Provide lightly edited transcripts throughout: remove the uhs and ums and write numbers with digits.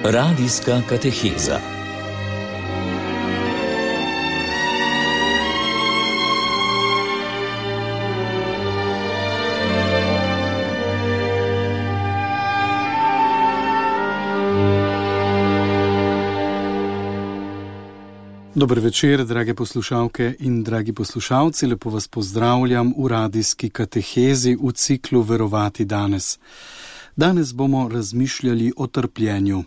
Radijska kateheza. Dober večer, drage poslušalke in dragi poslušalci, lepo vas pozdravljam v radijski katehezi v ciklu Verovati danes. Danes bomo razmišljali o trpljenju.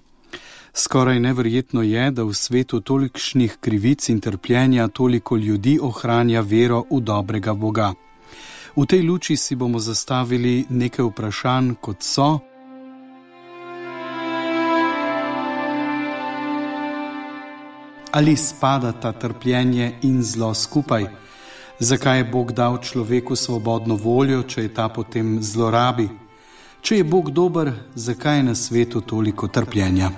Skoraj neverjetno je, da v svetu tolikšnih krivic in trpljenja toliko ljudi ohranja vero v dobrega Boga. V tej luči si bomo zastavili nekaj vprašanj, kot so: ali spadata trpljenje in zlo skupaj? Zakaj je Bog dal človeku svobodno voljo, če je ta potem zlorabi? Če je Bog dober, zakaj je na svetu toliko trpljenja?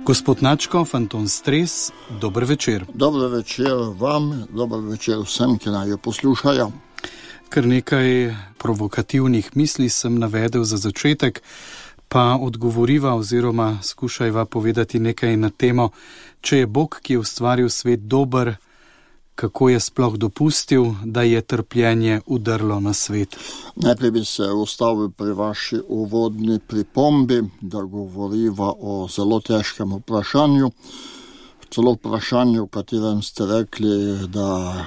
Gospod Načkov, Anton Stres, dober večer. Dober večer vam, dober večer vsem, ki naj jo poslušajo. Kar nekaj provokativnih misli sem navedel za začetek, pa odgovoriva oziroma skušajva povedati nekaj na temo, če je Bog, ki je ustvaril svet, dober, kako je sploh dopustil, da je trpljenje udrlo na svet. Najprej bi se ustavil pri vaši uvodni pripombi, da govoriva o zelo težkem vprašanju. Celo vprašanju, v katerem ste rekli, da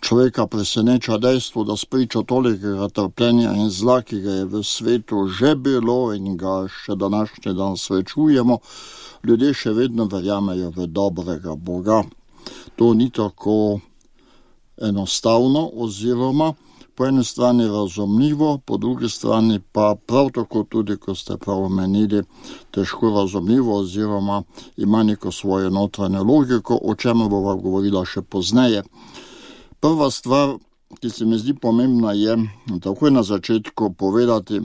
človeka preseneča dejstvo, da spričo tolikega trpljenja in zla, ki ga je v svetu že bilo in ga še današnji dan srečujemo, ljudje še vedno verjamejo v dobrega Boga. To ni tako enostavno oziroma po eni strani razumljivo, po drugi strani pa prav tako tudi, ko ste prav omenili, težko razumljivo oziroma ima neko svojo notranjo logiko, o čemer bova govorila še pozneje. Prva stvar, ki se mi zdi pomembna, je takoj na začetku povedati,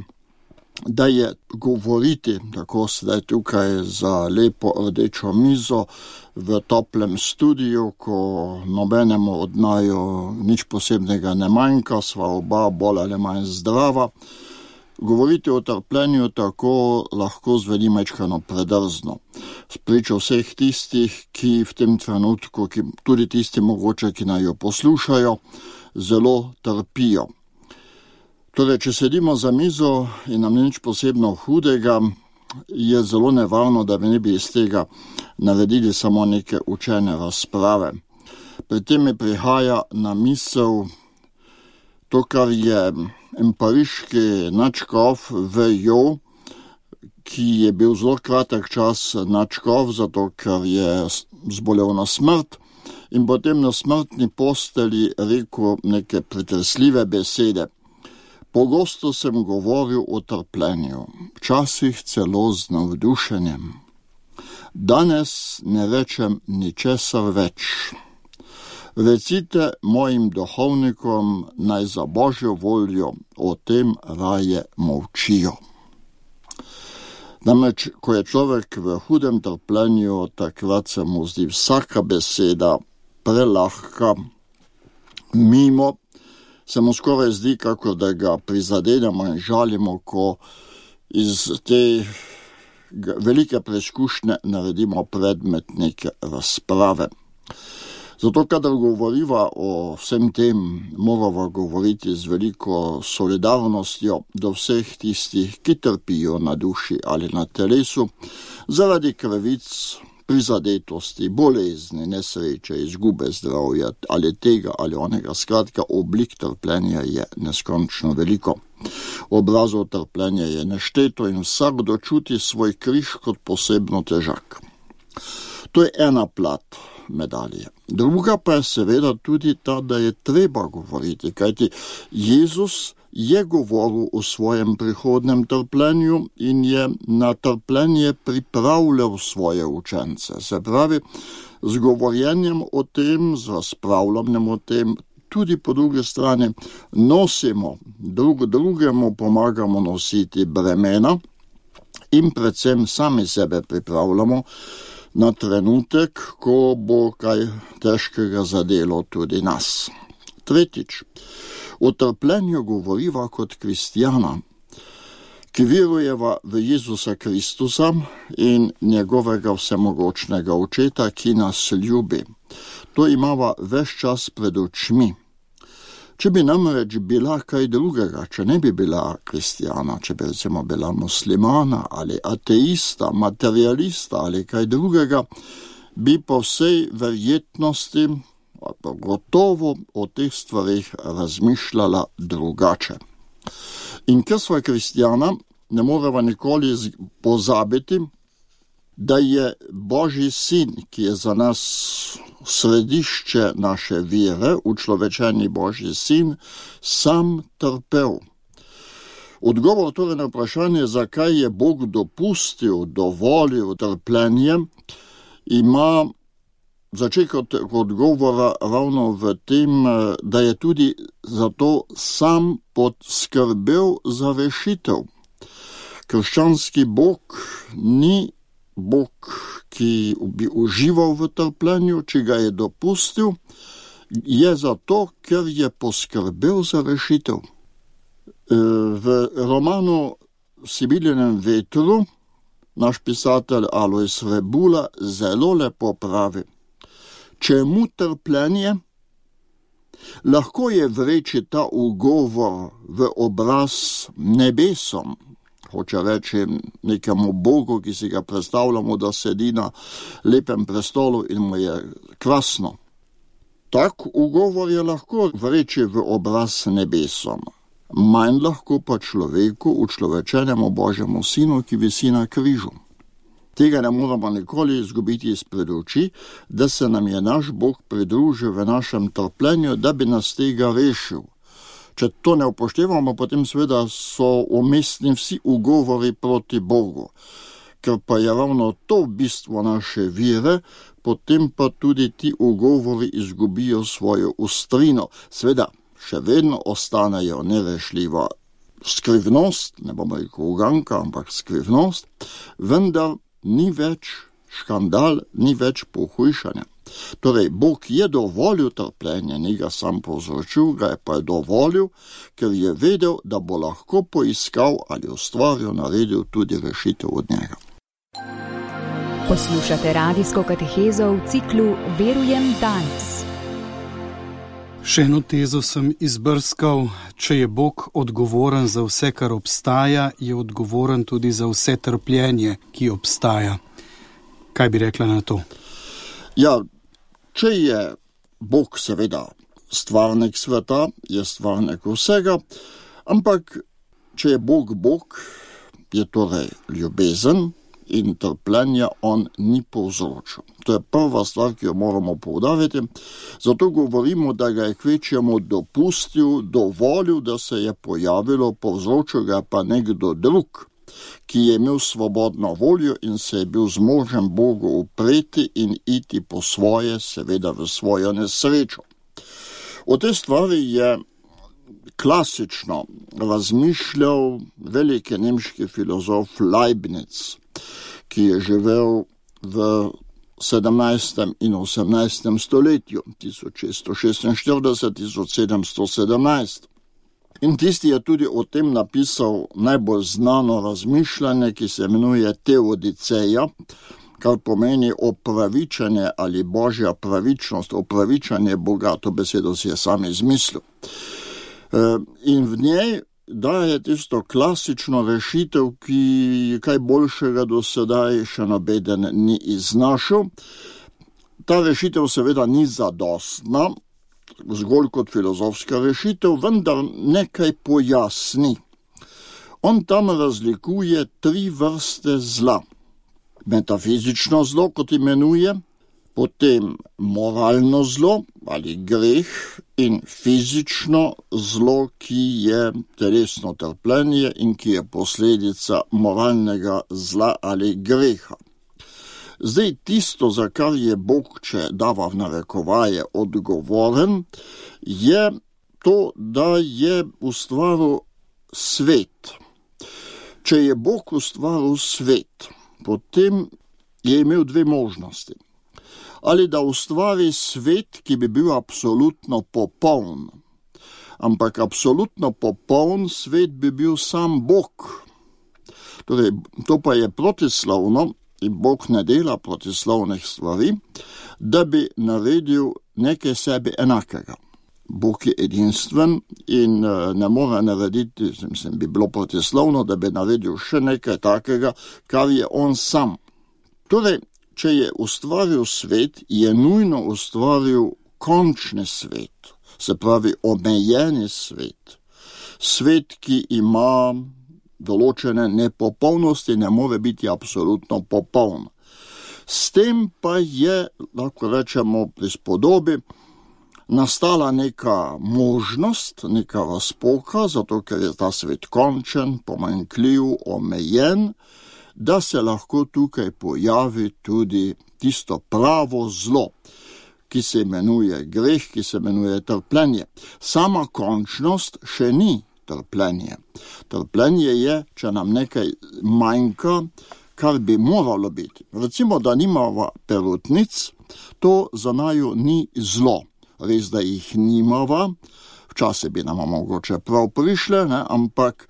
da je govoriti, tako sedaj tukaj za lepo rdečo mizo v toplem studiu, ko nobenemu od naju nič posebnega ne manjka, sva oba bolj ali manj zdrava. Govoriti o trpljenju tako lahko zveni majčkano predrzno. Spričo vseh tistih, ki v tem trenutku, tudi tisti mogoče, ki naj jo poslušajo, zelo trpijo. Torej, če sedimo za mizo in nam nič posebno hudega, je zelo nevarno, da bi ne bi iz tega naredili samo neke učene razprave. Pri tem mi prihaja na misel to, kar je pariški nadškof V.J., ki je bil zelo kratek čas nadškof, zato ker je zbolel na smrt in potem na smrtni postelji rekel neke pretresljive besede. Pogosto sem govoril o trpljenju, včasih celo z navdušenjem. Danes ne rečem ničesar več. Recite mojim duhovnikom, naj za Božjo voljo o tem raje molčijo. Namreč, ko je človek v hudem trpljenju, takrat se mu zdi vsaka beseda prelahka, mimo, se mu skoraj zdi, kako da ga prizadenemo in žalimo, ko iz te velike preizkušnje naredimo predmet neke razprave. Zato, kadar govoriva o vsem tem, morava govoriti z veliko solidarnostjo do vseh tistih, ki trpijo na duši ali na telesu, zaradi krivic, prizadetosti, bolezni, nesreče, izgube zdravja ali tega ali onega. Skratka, oblik trpljenja je neskončno veliko. Obrazov trpljenja je nešteto in vsakdo čuti svoj križ kot posebno težak. To je ena plat medalje. Druga pa je seveda tudi ta, da je treba govoriti, kajti Jezus je govoril o svojem prihodnem trpljenju in je na trpljenje pripravljal svoje učence. Se pravi, z govorjenjem o tem, z razpravljanjem o tem, tudi po drugi strani nosimo, drugemu pomagamo nositi bremena in predvsem sami sebe pripravljamo na trenutek, ko bo kaj težkega zadelo tudi nas. Tretjič, o trpljenju govoriva kot kristjana, ki verujeva v Jezusa Kristusa in njegovega vsemogočnega očeta, ki nas ljubi. To imava ves čas pred očmi. Če bi namreč bila kaj drugega, če ne bi bila kristjana, če bi recimo bila muslimana ali ateista, materialista ali kaj drugega, bi po vsej verjetnosti, gotovo o teh stvarih razmišljala drugače. In ker sva kristjana, ne moreva nikoli pozabiti, da je Božji sin, ki je za nas središče naše vere, učlovečeni Božji sin, sam trpel. Odgovor torej na vprašanje, zakaj je Bog dopustil, dovolil trpljenje, ima začetek odgovora ravno v tem, da je tudi zato sam poskrbel za rešitev. Krščanski Bog ni Bog, ki bi užival v trpljenju, če ga je dopustil, je zato, ker je poskrbel za rešitev. V romanu Sibiljenem vetru naš pisatelj Alojz Rebula zelo lepo pravi: čemu trpljenje? Lahko je vreči ta ugovor v obraz nebesom, hoče reči nekemu Bogu, ki si ga predstavljamo, da sedi na lepem prestolu in mu je krasno. Tak ugovor je lahko vreči v obraz nebesom, manj lahko pa človeku, učlovečenemu Božjemu sinu, ki visi na križu. Tega ne moramo nikoli izgubiti izpred oči, da se nam je naš Bog pridružil v našem trpljenju, da bi nas tega rešil. Če to ne upoštevamo, potem seveda so umestni vsi ugovori proti Bogu. Ker pa je ravno to bistvo naše vere, potem pa tudi ti ugovori izgubijo svojo ostrino. Seveda, še vedno ostanejo nerešljiva skrivnost, ne bomo rekel uganka, ampak skrivnost, vendar ni več škandal, ni več pohujšanja. Torej, Bog je dovolil trpljenje, ni ga sam povzročil, ga je pa dovolil, ker je vedel, da bo lahko poiskal ali ustvaril, naredil tudi rešitev od njega. Poslušate radijsko katehezo v ciklu Verujem danes. Še eno tezo sem izbrskal: če je Bog odgovoren za vse, kar obstaja, je odgovoren tudi za vse trpljenje, ki obstaja. Kaj bi rekla na to? Ja, če je Bog seveda stvarnik sveta, je stvarnik vsega, ampak če je Bog Bog, je torej ljubezen in trpljenja on ni povzročil. To je prva stvar, ki jo moramo poudariti. Zato govorimo, da ga je kvečjemu dopustil, dovolil, da se je pojavilo, povzročil ga pa nekdo drug, ki je imel svobodno voljo in se je bil zmožen Bogu upreti in iti po svoje, seveda v svojo nesrečo. O tej stvari je klasično razmišljal veliki nemški filozof Leibniz, ki je živel v 17. in 18. stoletju, 1646-1717. In tisti je tudi o tem napisal najbolj znano razmišljanje, ki se imenuje Teodiceja, kar pomeni opravičanje ali božja pravičnost, opravičanje Boga, to besedo si je sam izmislil. In v njej daje tisto klasično rešitev, ki kaj boljšega do sedaj še nobeden ni iznašel. Ta rešitev seveda ni zadostna, zgolj kot filozofska rešitev, vendar nekaj pojasni. On tam razlikuje 3 vrste zla. Metafizično zlo, kot imenuje, potem moralno zlo ali greh in fizično zlo, ki je telesno trpljenje in ki je posledica moralnega zla ali greha. Zdaj, tisto, za kar je Bog, če dava v narekovaje, odgovoren, je to, da je ustvaril svet. Če je Bog ustvaril svet, potem je imel dve možnosti. Ali da ustvari svet, ki bi bil absolutno popoln. Ampak absolutno popoln svet bi bil sam Bog. Torej, to pa je protislovno, in Bog ne dela protislovnih stvari, da bi naredil nekaj sebi enakega. Bog je edinstven in ne more narediti, bi bilo protislovno, da bi naredil še nekaj takega, kar je on sam. Torej, če je ustvaril svet, je nujno ustvaril končni svet, se pravi omejeni svet. Svet, ki ima določene nepopolnosti, ne more biti absolutno popoln. S tem pa je, lahko rečemo, prispodobi, nastala neka možnost, neka razpoka, zato ker je ta svet končen, pomanjkljiv, omejen, da se lahko tukaj pojavi tudi tisto pravo zlo, ki se imenuje greh, ki se imenuje trpljenje. Sama končnost še ni trpljenje. Trpljenje je, če nam nekaj manjka, kar bi moralo biti. Recimo, da nimava perutnic, to za naju ni zlo. Res, da jih nimava, včasih bi nama mogoče prav prišle, ampak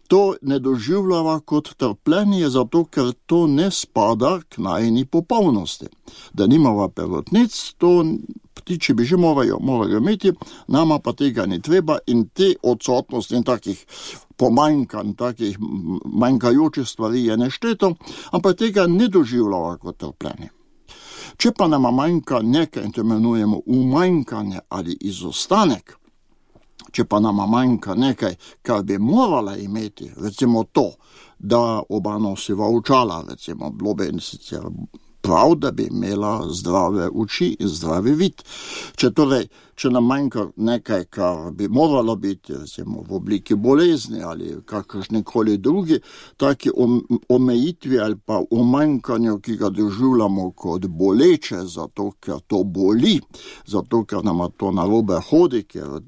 to ne doživljava kot trpljenje, zato ker to ne spada k najini popolnosti. Da nimava perutnic, to ptiči bi že morajo imeti, nama pa tega ni treba in te odsotnosti in takih pomanjkanj, takih manjkajočih stvari je nešteto, ampak tega ne doživljava kot trpljenje. Če pa nama manjka nekaj, in to imenujemo umanjkanje ali izostanek, če pa nama manjka nekaj, kar bi morala imeti, recimo to, da oba nosiva očala, recimo bilo bi sicer prav, da bi imela zdrave oči in zdravi vid. Če nam manjka nekaj, kar bi moralo biti, recimo v obliki bolezni ali kakršnikoli drugi, taki omejitvi ali pa umanjkanju, ki ga doživljamo kot boleče, zato ker to boli, zato ker nama to narobe hodi, ker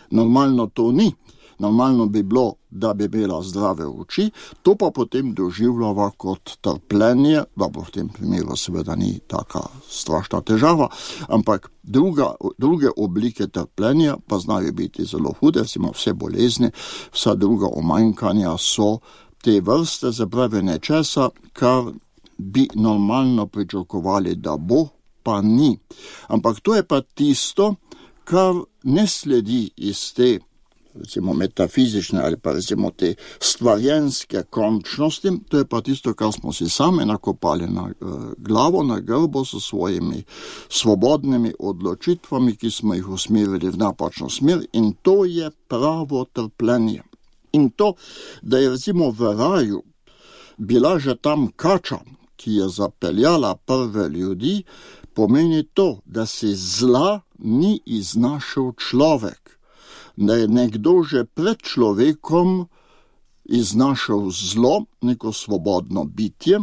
normalno to ni. Normalno bi bilo, da bi imela zdrave oči, to pa potem doživljava kot trpljenje, da v tem primeru seveda ni taka strašna težava, ampak druge oblike trpljenja pa znajo biti zelo hude, recimo vse bolezni, vsa druga omanjkanja so te vrste, se pravi nečesa, kar bi normalno pričakovali, da bo, pa ni. Ampak to je pa tisto, kar ne sledi iz te recimo metafizične ali pa recimo te stvarjenske končnosti, to je pa tisto, kar smo si sami nakopali na glavo, na grbo s svojimi svobodnimi odločitvami, ki smo jih usmerili v napačno smer, in to je pravo trpljenje. In to, da je recimo v raju bila že tam kača, ki je zapeljala prve ljudi, pomeni to, da se zla ni iznašel človek. Da je nekdo že pred človekom iznašel zlo, neko svobodno bitje,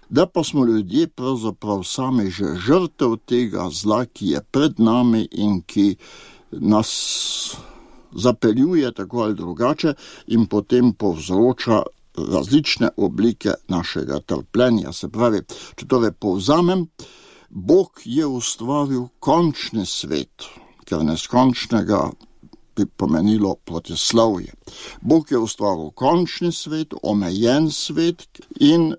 da pa smo ljudje pravzaprav sami že žrtev tega zla, ki je pred nami in ki nas zapeljuje tako ali drugače in potem povzroča različne oblike našega trpljenja. Se pravi, če torej povzamem, Bog je ustvaril končni svet, ker neskončnega bi pomenilo protislovje. Bog je ustvaril končni svet, omejen svet in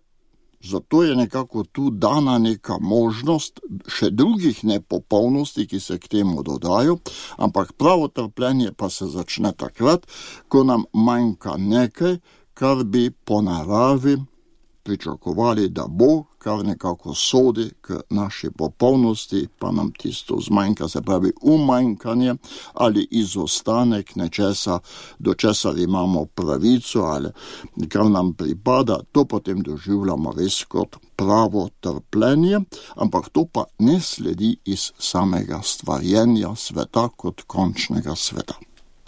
zato je nekako tu dana neka možnost še drugih nepopolnosti, ki se k temu dodajo, ampak pravo trpljenje pa se začne takrat, ko nam manjka nekaj, kar bi po naravi pričakovali, da bo, kar nekako sodi k naši popolnosti, pa nam tisto zmanjka, se pravi umanjkanje ali izostanek nečesa, do česar imamo pravico ali kar nam pripada, to potem doživljamo res kot pravo trpljenje, ampak to pa ne sledi iz samega stvarjenja sveta kot končnega sveta.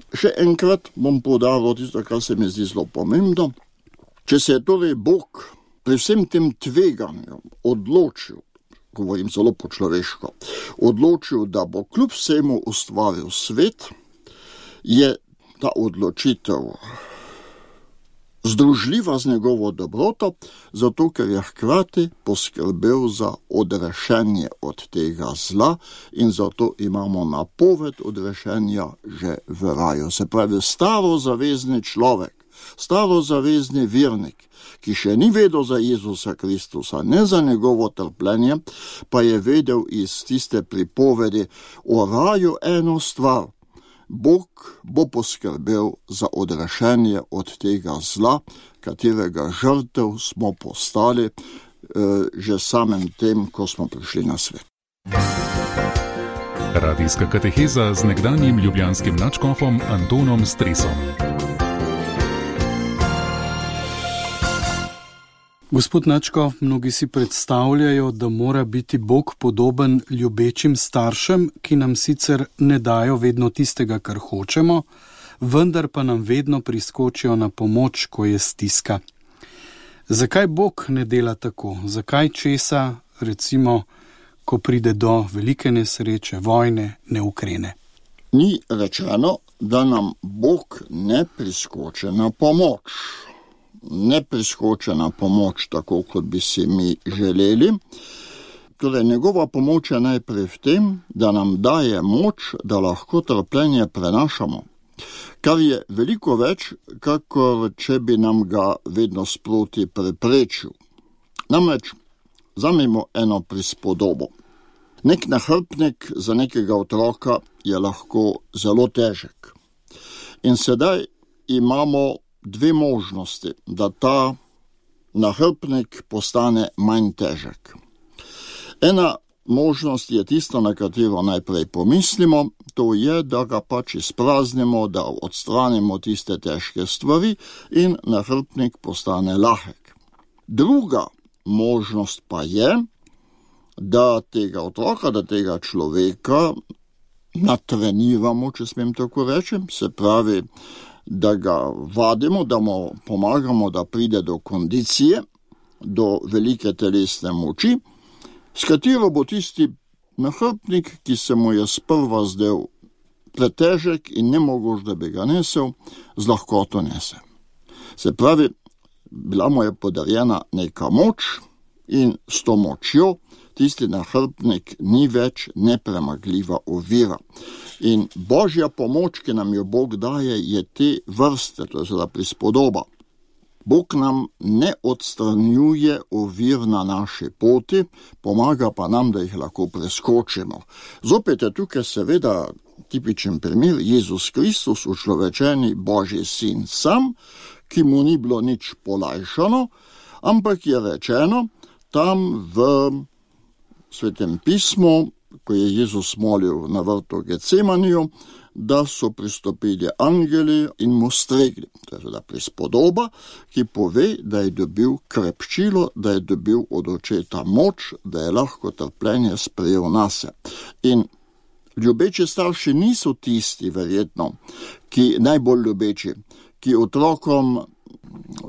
Še enkrat bom poudaril tisto, kar se mi zdi zelo pomembno. Če se je torej Bog pri vsem tem tveganju odločil, govorim zelo po človeško, odločil, da bo kljub vsemu ustvaril svet, je ta odločitev združljiva z njegovo dobroto, zato ker je hkrati poskrbel za odrešenje od tega zla in zato imamo napoved odrešenja že v raju. Se pravi, starozavezni človek, starozavezni vernik, ki še ni vedel za Jezusa Kristusa, ne za njegovo trpljenje, pa je vedel iz tiste pripovedi o raju eno stvar. Bog bo poskrbel za odrešenje od tega zla, katerega žrtev smo postali že samem tem, ko smo prišli na svet. Radijska kateheza z nekdanjim ljubljanskim nadškofom Antonom Stresom. Gospod nadškof, mnogi si predstavljajo, da mora biti Bog podoben ljubečim staršem, ki nam sicer ne dajo vedno tistega, kar hočemo, vendar pa nam vedno priskočijo na pomoč, ko je stiska. Zakaj Bog ne dela tako? Zakaj česa, recimo, ko pride do velike nesreče, vojne, ne ukrene? Ni rečeno, da nam Bog ne priskoči na pomoč. Ne priskoči na pomoč tako, kot bi si mi želeli. Torej, njegova pomoč je najprej v tem, da nam daje moč, da lahko trpljenje prenašamo, kar je veliko več, kakor če bi nam ga vedno sproti preprečil. Namreč, vzamemo eno prispodobo. Nek nahrbtnik za nekega otroka je lahko zelo težek. In sedaj imamo dve možnosti, da ta nahrbtnik postane manj težek. Ena možnost je tisto, na katero najprej pomislimo, to je, da ga pač izpraznimo, da odstranimo tiste težke stvari in nahrbtnik postane lahek. Druga možnost pa je, da tega otroka, da tega človeka natreniramo, če smem tako reči, se pravi, da ga vadimo, da mu pomagamo, da pride do kondicije, do velike telesne moči, s katero bo tisti nahrbtnik, ki se mu je sprva zdel pretežek in ne mogoč, da bi ga nesel, z lahkoto nese. Se pravi, bila mu je podarjena neka moč in s to močjo tisti nahrbtnik ni več nepremagljiva ovira. In Božja pomoč, ki nam jo Bog daje, je te vrste, to je seveda prispodoba. Bog nam ne odstranjuje ovir na naši poti, pomaga pa nam, da jih lahko preskočimo. Zopet je tukaj seveda tipičen primer Jezus Kristus, učlovečeni Božji sin sam, ki mu ni bilo nič polajšano, ampak je rečeno tam v Svetem pismu, ko je Jezus molil na vrtu Getsemaniju, da so pristopili angeli in mu stregli. To je seveda prispodoba, ki pove, da je dobil krepčilo, da je dobil od očeta moč, da je lahko trpljenje sprejel nase. In ljubeči starši niso tisti, verjetno, ki najbolj ljubeči, ki otrokom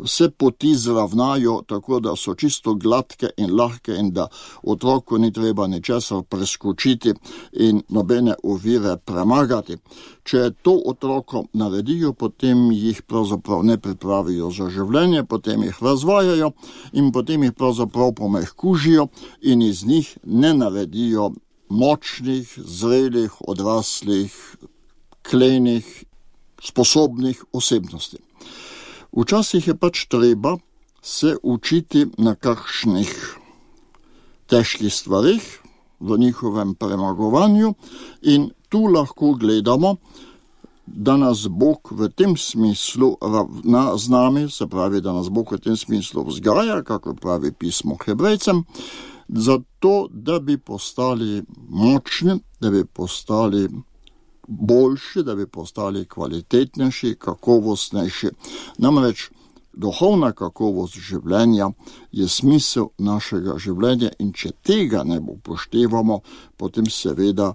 vse poti zravnajo tako, da so čisto gladke in lahke in da otroku ni treba ničesar preskočiti in nobene ovire premagati. Če to otrokom naredijo, potem jih pravzaprav ne pripravijo za življenje, potem jih razvajajo in potem jih pravzaprav pomehkužijo in iz njih ne naredijo močnih, zrelih, odraslih, klenih, sposobnih osebnosti. Včasih je pač treba se učiti na kakšnih težkih stvarih, v njihovem premagovanju in tu lahko gledamo, da nas Bog v tem smislu ravna z nami, se pravi, da nas Bog v tem smislu vzgaja, kako pravi pismo Hebrejcem, zato, da bi postali močni, da bi postali boljši, da bi postali kvalitetnejši, kakovostnejši. Namreč duhovna kakovost življenja je smisel našega življenja in če tega ne upoštevamo, potem seveda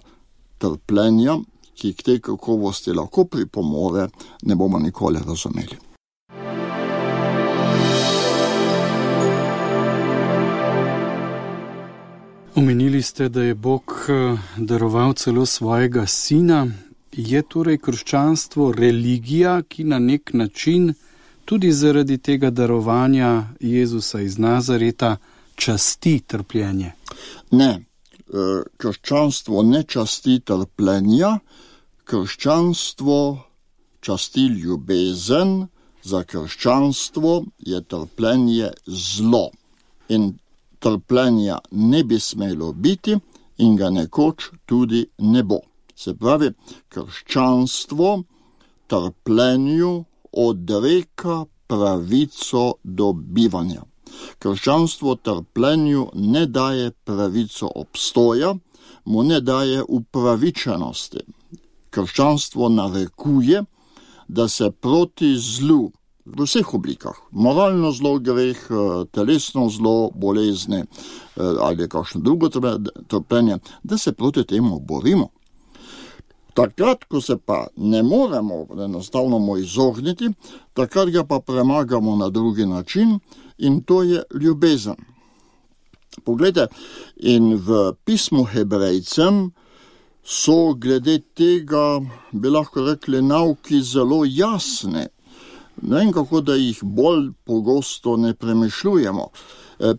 trpljenja, ki k tej kakovosti lahko pripomore, ne bomo nikoli razumeli. Omenili ste, da je Bog daroval celo svojega sina. Je torej krščanstvo religija, ki na nek način tudi zaradi tega darovanja Jezusa iz Nazareta časti trpljenje? Ne, krščanstvo ne časti trpljenja, krščanstvo časti ljubezen, za krščanstvo je trpljenje zlo. In trpljenja ne bi smelo biti in ga nekoč tudi ne bo. Se pravi, krščanstvo trpljenju odreka pravico do bivanja. Krščanstvo trpljenju ne daje pravico obstoja, mu ne daje upravičenosti. Krščanstvo narekuje, da se proti zlu v vseh oblikah, moralno zlo, greh, telesno zlo, bolezni ali kakšno drugo trpljenje, da se proti temu borimo. Takrat, ko se pa ne moremo enostavno mu izogniti, takrat ga pa premagamo na drugi način in to je ljubezen. Poglejte, in v pismu Hebrejcem so glede tega, bi lahko rekli, nauki zelo jasne. Ne vem, kako da jih bolj pogosto ne premišljujemo.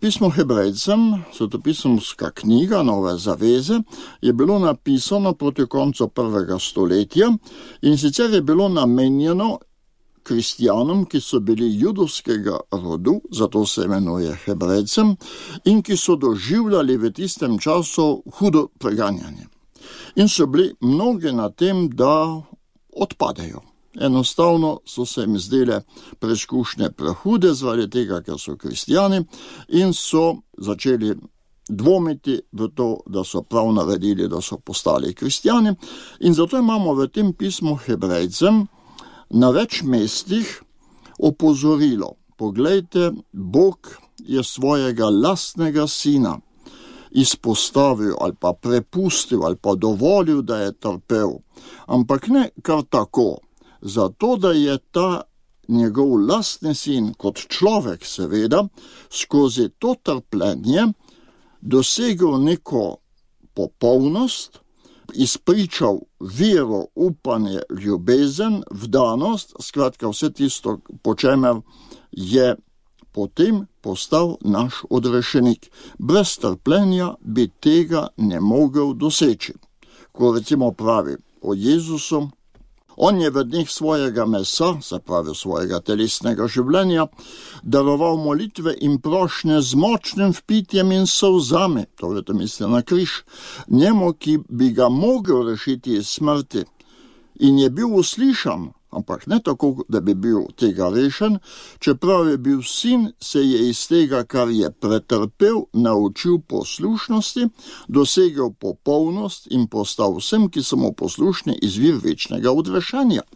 Pismo Hebrejcem, svetopisemska knjiga Nove zaveze, je bilo napisano proti koncu 1. stoletja in sicer je bilo namenjeno kristjanom, ki so bili judovskega rodu, zato se imenuje Hebrejcem, in ki so doživljali v tistem času hudo preganjanje. In so bili mnogi na tem, da odpadejo. Enostavno so se jim zdele preizkušnje prehude zaradi tega, ker so kristjani in so začeli dvomiti v to, da so prav naredili, da so postali kristjani. In zato imamo v tem pismu Hebrejcem na več mestih opozorilo. Poglejte, Bog je svojega lastnega sina izpostavil ali pa prepustil ali pa dovolil, da je trpel. Ampak ne kar tako. Zato, da je ta njegov lastni sin, kot človek seveda, skozi to trpljenje dosegel neko popolnost, izpričal vero, upanje, ljubezen, vdanost, skratka vse tisto, po čemer je potem postal naš odrešenik. Brez trpljenja bi tega ne mogel doseči. Ko recimo pravi o Jezusu, on je v dneh svojega mesa, se pravi svojega telesnega življenja, daroval molitve in prošnje z močnim vpitjem in solzami, torej to misli na križ, njemu, ki bi ga mogel rešiti iz smrti. In je bil uslišan, ampak ne tako, da bi bil tega rešen, čeprav je bil sin, se je iz tega, kar je pretrpel, naučil poslušnosti, dosegel popolnost in postal vsem, ki so mu poslušni, izvir večnega odrešenja.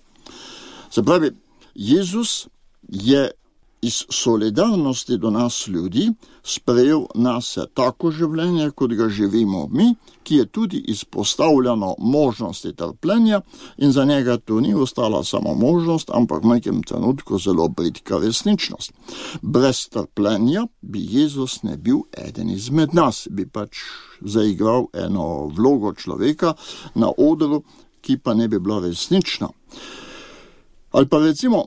Se pravi, Jezus je iz solidarnosti do nas ljudi sprejel nase tako življenje, kot ga živimo mi, ki je tudi izpostavljeno možnosti trpljenja in za njega to ni ostala samo možnost, ampak v nekem trenutku zelo bridka resničnost. Brez trpljenja bi Jezus ne bil eden izmed nas, bi pač zaigral eno vlogo človeka na odru, ki pa ne bi bila resnična. Ali pa recimo,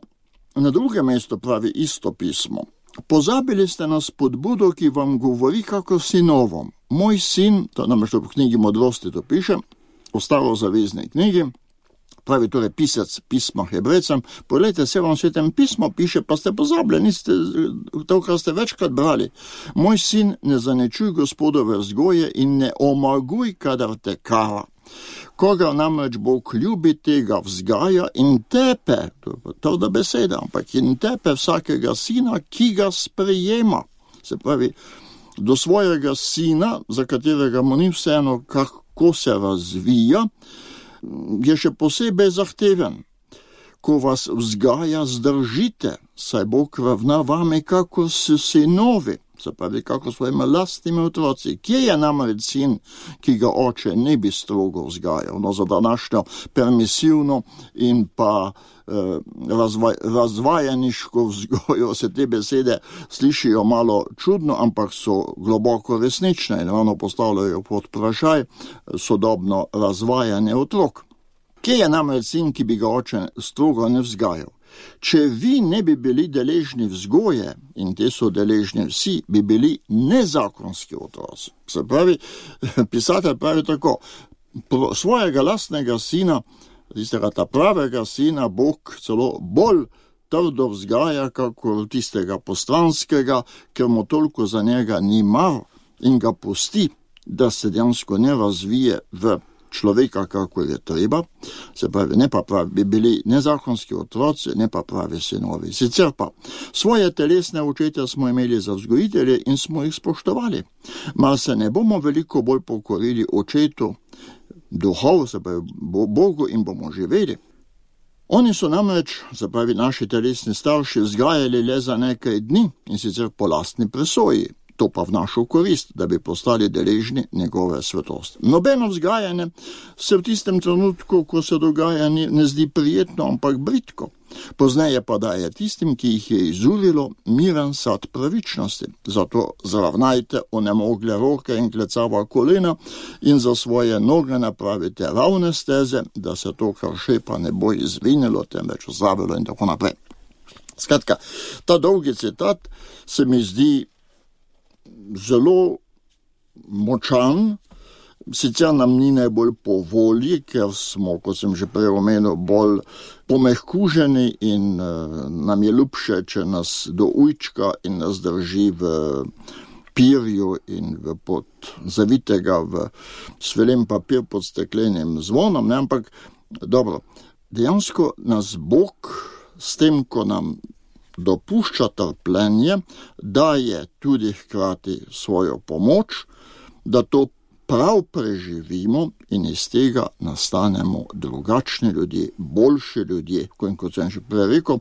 na drugem mestu pravi isto pismo. Pozabili ste na spodbudo, ki vam govori kako sinovom. Moj sin, to namreč v knjigi Modrosti to piše, v starozavezni knjigi, pravi torej pisec pisma Hebrejcem, poglejte, se vam svetem pismo piše, pa ste pozabili, niste to, kar ste večkrat brali. Moj sin, ne zanečuj Gospodove vzgoje in ne omaguj, kadar te kara. Koga namreč Bog ljubi, tega vzgaja in tepe, to je beseda, ampak in tepe vsakega sina, ki ga sprejema. Se pravi, do svojega sina, za katerega mu ni vseeno, kako se razvija, je še posebej zahteven. Ko vas vzgaja, zdržite, saj Bog ravna vame kako s sinovi. Se pravi, kako svojimi lastnimi otroci. Kje je namreč sin, ki ga oče ne bi strogo vzgajal? No, za današnjo permisivno in pa razvajaniško vzgojo se te besede slišijo malo čudno, ampak so globoko resnične in ravno postavljajo pod vprašaj sodobno razvajanje otrok. Kje je namreč sin, ki bi ga oče strogo ne vzgajal? če vi ne bi bili deležni vzgoje, in te so deležni vsi, bi bili nezakonski otroci. Se pravi, pisatelj pravi tako, svojega lastnega sina, tistega ta pravega sina, Bog celo bolj trdo vzgaja, kakor tistega postranskega, ker mu toliko za njega ni mar in ga pusti, da se dejansko ne razvije v človeka, kako je treba, se pravi, ne pa pravi, bi bili nezakonski otroci, ne pa pravi sinovi. Sicer pa svoje telesne očete smo imeli za vzgojitelje in smo jih spoštovali. Mar se ne bomo veliko bolj pokorili očetu duhov, se pravi Bogu, in bomo živeli. Oni so namreč, se pravi naši telesni starši, vzgajali le za nekaj dni in sicer po lastni presoji. To pa v našo korist, da bi postali deležni njegove svetosti. Nobeno vzgajanje se v tistem trenutku, ko se dogaja, ne zdi prijetno, ampak britko. Pozneje pa daje tistim, ki jih je izurilo, miren sad pravičnosti. Zato zravnajte onemogle roke in klecava kolena in za svoje noge napravite ravne steze, da se to, kar šepa, ne bo izvinilo, temveč zdravilo in tako naprej. Skratka, ta dolgi citat se mi zdi zelo močan, sicer nam ni najbolj po volji, ker smo, kot sem že prej omenil, bolj pomehkuženi in nam je ljubše, če nas do ujčka in nas drži v pirju in zavitega v svelen papir pod steklenim zvonom, ne? Ampak dobro, dejansko nas Bog s tem, ko nam dopušča trpljenje, daje tudi hkrati svojo pomoč, da to prav preživimo in iz tega nastanemo drugačni ljudje, boljši ljudje. Kot sem že prej rekel,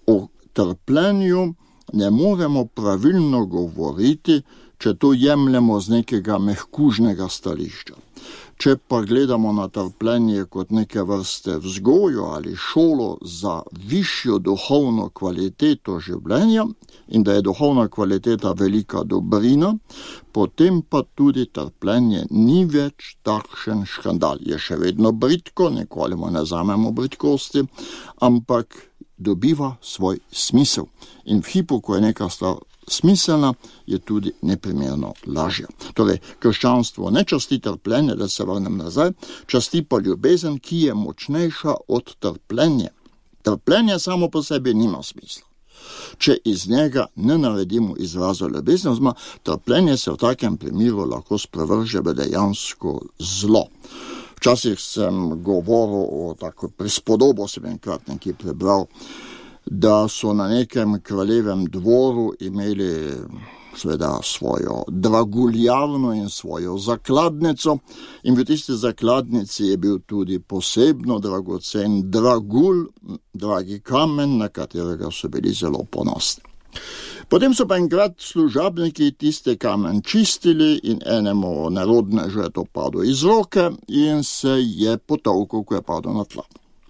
o trpljenju ne moremo pravilno govoriti, če to jemljemo z nekega mehkužnega stališča. Če pa gledamo na trpljenje kot neke vrste vzgojo ali šolo za višjo duhovno kvaliteto življenja in da je duhovna kvaliteta velika dobrina, potem pa tudi trpljenje ni več takšen škandal. Je še vedno britko, nikoli mu ne zamemo britkosti, ampak dobiva svoj smisel. In v hipu, ko je neka stvar smiselna, je tudi neprimerno lažja. Torej, krščanstvo ne časti trpljenje, da se vrnem nazaj, časti pa ljubezen, ki je močnejša od trpljenja. Trpljenje samo po sebi nima smisla. Če iz njega ne naredimo izraza ljubezni, oziroma trpljenje se v takem primeru lahko sprevrže v dejansko zlo. Včasih sem govoril o tako prispodobo, sem enkrat nekaj prebral, da so na nekem kraljevem dvoru imeli seveda svojo draguljarno in svojo zakladnico in v tisti zakladnici je bil tudi posebno dragocen dragulj, dragi kamen, na katerega so bili zelo ponosni. Potem so pa enkrat služabniki tiste kamen čistili in enemu narodnežu je to padlo iz roke in se je potolkel, ko je padlo na tla.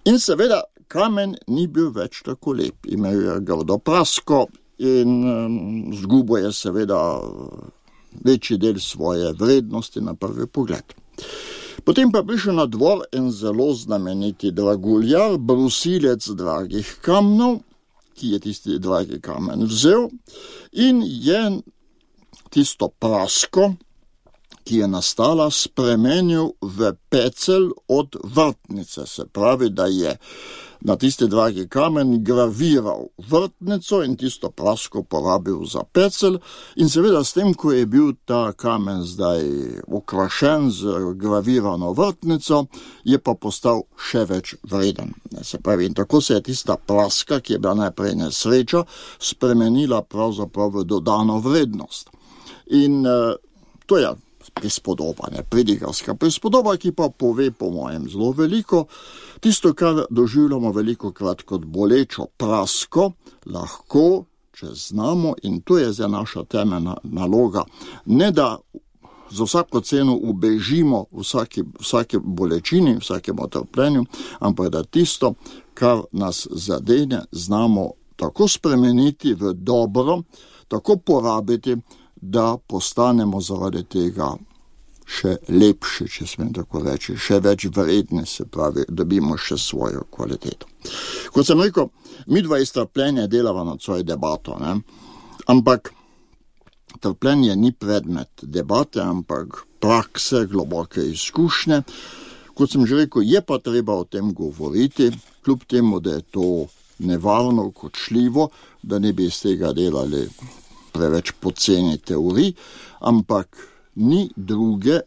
In seveda kamen ni bil več tako lep, imel je grdo prasko in zgubo je seveda večji del svoje vrednosti na prvi pogled. Potem pa prišel na dvor en zelo znameniti draguljar, brusilec dragih kamnov, ki je tisti dragi kamen vzel in je tisto prasko, ki je nastala, spremenil v pecelj od vrtnice. Se pravi, da je na tisti dragi kamen graviral vrtnico in tisto prasko porabil za pecelj in seveda s tem, ko je bil ta kamen zdaj okrašen z gravirano vrtnico, je pa postal še več vreden. Se pravi, in tako se je tista praska, ki je bila najprej nesreča, spremenila pravzaprav v dodano vrednost. In to je prispodoba, pridigarska prispodoba, ki pa pove po mojem zelo veliko. Tisto, kar doživljamo velikokrat kot bolečo prasko, lahko, če znamo, in to je za naša temeljna naloga, ne da za vsako ceno ubežimo vsake bolečini, vsakemu trpljenju, ampak da tisto, kar nas zadene, znamo tako spremeniti v dobro, tako porabiti, da postanemo zaradi tega še lepši, če smem tako reči, še več vredni, se pravi, dobimo še svojo kvaliteto. Kot sem rekel, midva iz trpljenja delava na svojo debato, ne? Ampak trpljenje ni predmet debate, ampak prakse, globoke izkušnje. Kot sem že rekel, je pa treba o tem govoriti, kljub temu, da je to nevarno, kočljivo, da ne bi iz tega delali preveč poceni teorij, ampak ni druge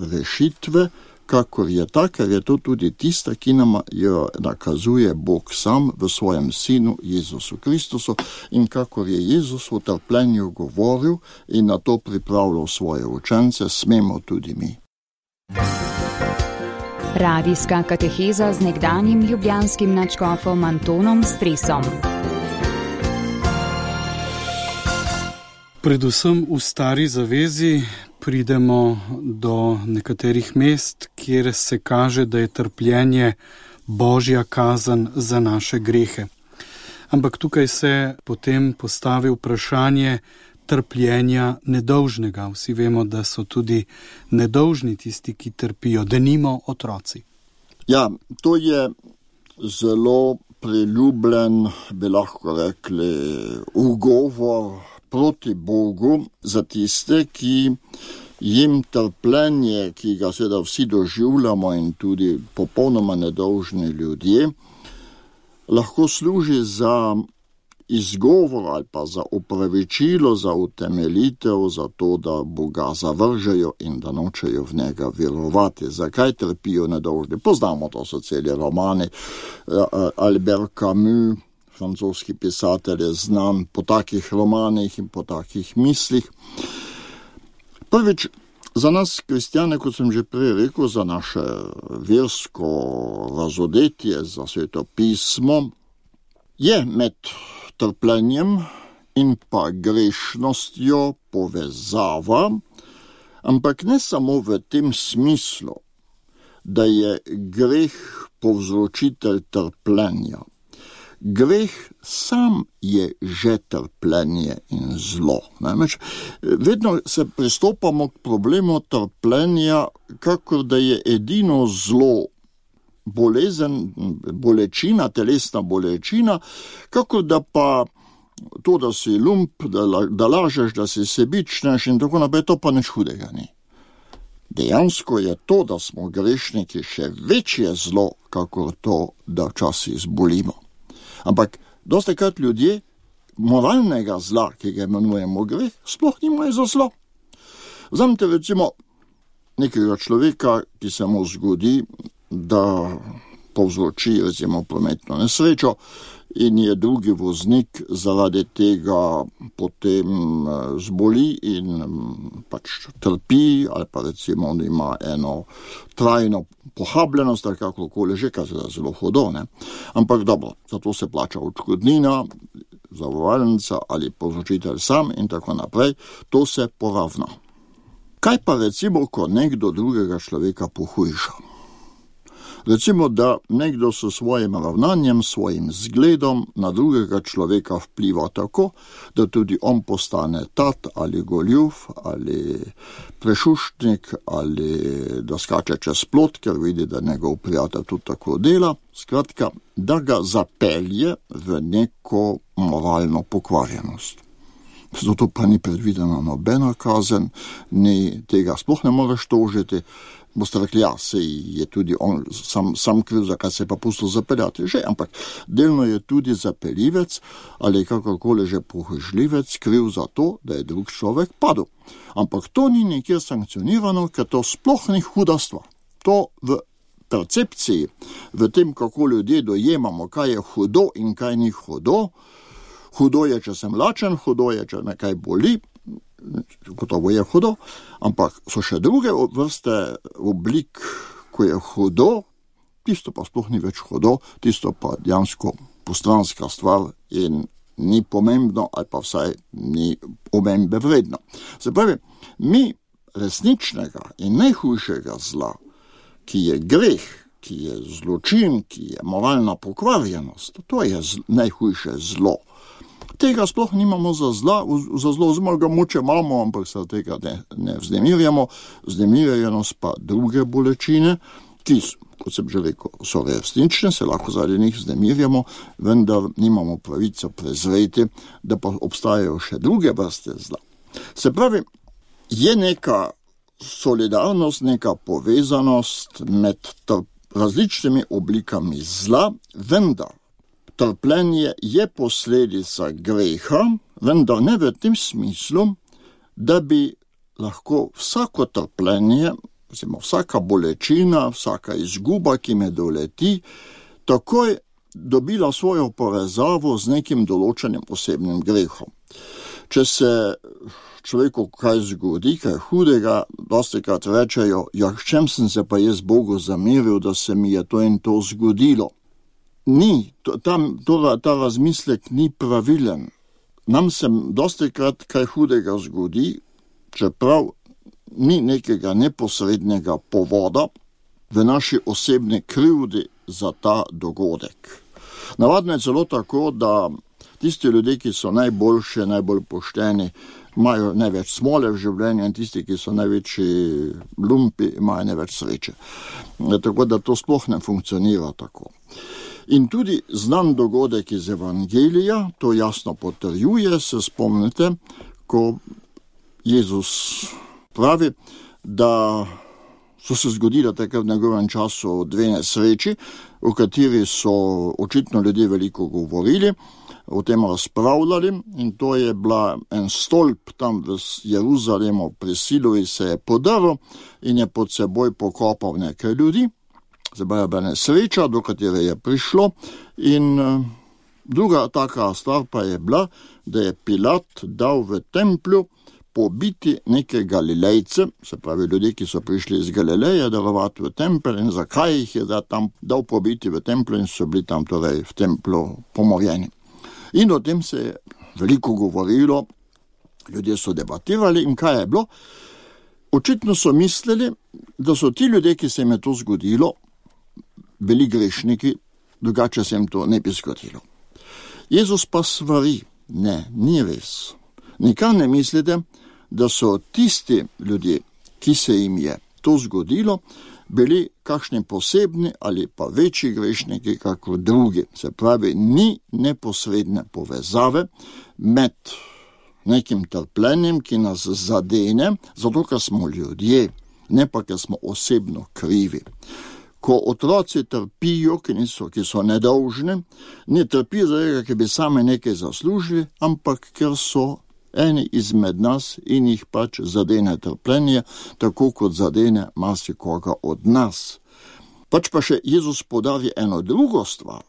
rešitve, kakor je ta, ker je to tudi tista, ki nam jo nakazuje Bog sam v svojem sinu Jezusu Kristusu in kakor je Jezus v trpljenju govoril in na to pripravljal svoje učence, smemo tudi mi. Radijska kateheza z nekdanjim ljubljanskim nadškofom Antonom Stresom. Predvsem v Stari zavezi pridemo do nekaterih mest, kjer se kaže, da je trpljenje Božja kazen za naše grehe. Ampak tukaj se potem postavi vprašanje trpljenja nedolžnega. Vsi vemo, da so tudi nedolžni tisti, ki trpijo, denimo otroci. Ja, to je zelo priljubljen, bi lahko rekli, ugovor proti Bogu za tiste, ki jim trpljenje, ki ga seveda vsi doživljamo in tudi popolnoma nedolžni ljudje, lahko služi za izgovor ali pa za opravičilo, za utemeljitev, za to, da Boga zavržejo in da nočejo v njega verovati. Zakaj trpijo nedolžni? Poznamo, to so celi romani. Albert Camus, francoski pisatelj, je znan po takih romanih in po takih mislih. Prvič, za nas kristjane, kot sem že prej rekel, za naše versko razodetje, za sveto pismo, je med trpljenjem in pa grešnostjo povezava, ampak ne samo v tem smislu, da je greh povzročitelj trpljenja. Greh sam je že trpljenje in zlo. Namreč, vedno se pristopamo k problemu trpljenja, kakor da je edino zlo bolezen, bolečina, telesna bolečina, kakor da pa to, da si lump, da lažeš, da si sebičneš in tako naprej, to pa nič hudega ni. Dejansko je to, da smo grešniki, še večje zlo, kakor to, da včasih zbolimo. Ampak dostikrat ljudje moralnega zla, ki ga imenujemo greh, sploh nimajo za zlo. Vzemite recimo nekega človeka, ki se mu zgodi, da povzroči recimo prometno nesrečo in je drugi voznik zaradi tega potem zboli in pač trpi, ali pa recimo on ima eno trajno pohabljenost, ali kakorkoli že, kar je zelo hudo, ne? Ampak dobro, zato se plača odškodnina, zavarovalnica ali povzročitelj sam in tako naprej, to se poravna. Kaj pa recimo, ko nekdo drugega človeka pohujša? Recimo, da nekdo s svojim ravnanjem, svojim zgledom na drugega človeka vpliva tako, da tudi on postane tat ali goljuf ali prešuštnik ali da skače čez plot, ker vidi, da njegov prijatelj tudi tako dela. Skratka, da ga zapelje v neko moralno pokvarjenost. Zato pa ni predvidena nobena kazen, ni tega sploh ne moreš tožiti. Boste rekli, ja, sej je tudi on sam kriv, zakaj se je pa pustil zapeljati. Že, ampak delno je tudi zapeljivec ali kakorkoli že pohužljivec kriv za to, da je drug človek padel. Ampak to ni nikjer sankcionirano, ker to sploh ni huda stvar. To v percepciji, v tem, kako ljudje dojemamo, kaj je hudo in kaj ni hudo. Hudo je, če sem lačen, hudo je, če me kaj boli, gotovo je hudo, ampak so še druge vrste oblik, ko je hudo, tisto pa sploh ni več hudo, tisto pa dejansko postranska stvar in ni pomembno ali pa vsaj ni omembe vredno. Se pravi, mi resničnega in najhujšega zla, ki je greh, ki je zločin, ki je moralna pokvarjenost, to je najhujše zlo. tega sploh nimamo za zlo, oziroma ga moče imamo, ampak se tega ne vznemirjamo. Vznemirjenost pa druge bolečine, ki, kot sem že rekel, so resnične, se lahko zaradi njih vznemirjamo, vendar nimamo pravico prezreti, da pa obstajajo še druge vrste zla. Se pravi, je neka solidarnost, neka povezanost med različnimi oblikami zla, vendar trpljenje je posledica greha, vendar ne v tem smislu, da bi lahko vsako trpljenje, vsaka bolečina, vsaka izguba, ki me doleti, takoj dobila svojo povezavo z nekim določenim osebnim grehom. Če se človeku kaj zgodi, kaj hudega, dostikrat rečejo, s čem sem se pa jaz Bogu zameril, da se mi je to in to zgodilo. Ni, ta razmislek ni pravilen. Nam se dostikrat kaj hudega zgodi, čeprav ni nekega neposrednega povoda v naši osebni krivdi za ta dogodek. Navadno je celo tako, da tisti ljudje, ki so najboljši, najbolj pošteni, imajo največ smole v življenju in tisti, ki so največji lumpi, imajo največ sreče. Tako da to sploh ne funkcionira tako. In tudi znan dogodek iz Evangelija to jasno potrjuje, se spomnite, ko Jezus pravi, da so se zgodile takrat v njegovem času dve nesreči, o kateri so očitno ljudje veliko govorili, o tem razpravljali, in to je bila en stolp tam v Jeruzalemu pri Siloji se je podaril in je pod seboj pokopal nekaj ljudi. Zdaj je bila nesreča, do katere je prišlo, in druga taka stvar pa je bila, da je Pilat dal v templju pobiti neke Galilejce, se pravi ljudi, ki so prišli iz Galileje darovati v tempelj, in zakaj jih je tam dal pobiti v templju in so bili tam torej v templju pomorjeni. In o tem se je veliko govorilo, ljudje so debatirali in kaj je bilo? Očitno so mislili, da so ti ljudje, ki se jim je to zgodilo, bili grešniki, drugače se jim to ne bi zgodilo. Jezus pa svari, ne, ni res. Nikar ne mislite, da so tisti ljudje, ki se jim je to zgodilo, bili kakšni posebni ali pa večji grešniki kakor drugi. Se pravi, ni neposredne povezave med nekim trpljenjem, ki nas zadene, zato ker smo ljudje, ne pa ker smo osebno krivi. Ko otroci trpijo, ki so nedolžni, ne trpijo zaradi, ker bi sami nekaj zaslužili, ampak ker so eni izmed nas in jih pač zadene trpljenje, tako kot zadene marsikoga od nas. Pač pa še Jezus podavi eno drugo stvar.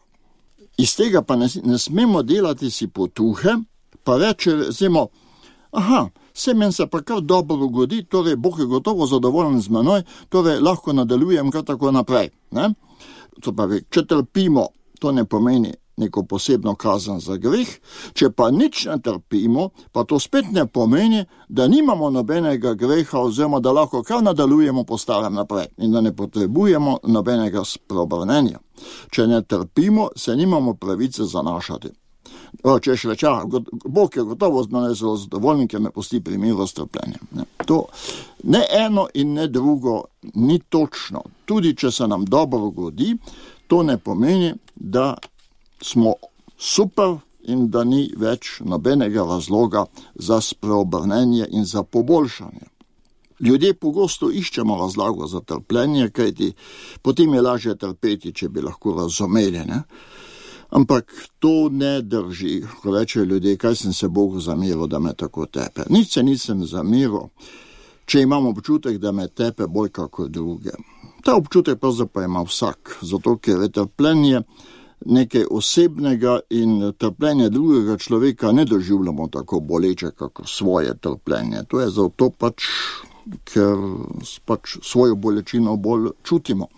Iz tega pa ne smemo delati si potuhe, pa reče, recimo, se meni se pa kar dobro godi, torej Bog je gotovo zadovoljen z menoj, torej lahko nadaljujem kar tako naprej. Ne? To pa če trpimo, to ne pomeni neko posebno kazen za greh, če pa nič ne trpimo, pa to spet ne pomeni, da nimamo nobenega greha oziroma da lahko kar nadaljujemo po starem naprej in da ne potrebujemo nobenega spreobrnenja. Če ne trpimo, se nimamo pravice zanašati. Če še reče, Bog je gotovo z mene zelo zadovoljen, ker me pusti pri miru s trpljenjem. To ne eno in ne drugo ni točno. Tudi če se nam dobro godi, to ne pomeni, da smo super in da ni več nobenega razloga za spreobrnenje in za poboljšanje. Ljudje pogosto iščemo razlago za trpljenje, kajti potem je lažje trpeti, če bi lahko razumeli, ne? Ampak to ne drži, ko rečejo ljudje, kaj sem se Bogu zameril, da me tako tepe. Nič se nisem zameril, če imam občutek, da me tepe bolj kako druge. Ta občutek pravzaprav ima vsak, zato ker je trpljenje nekaj osebnega in trpljenje drugega človeka ne doživljamo tako boleče, kako svoje trpljenje. To je zato pač, ker pač svojo bolečino bolj čutimo.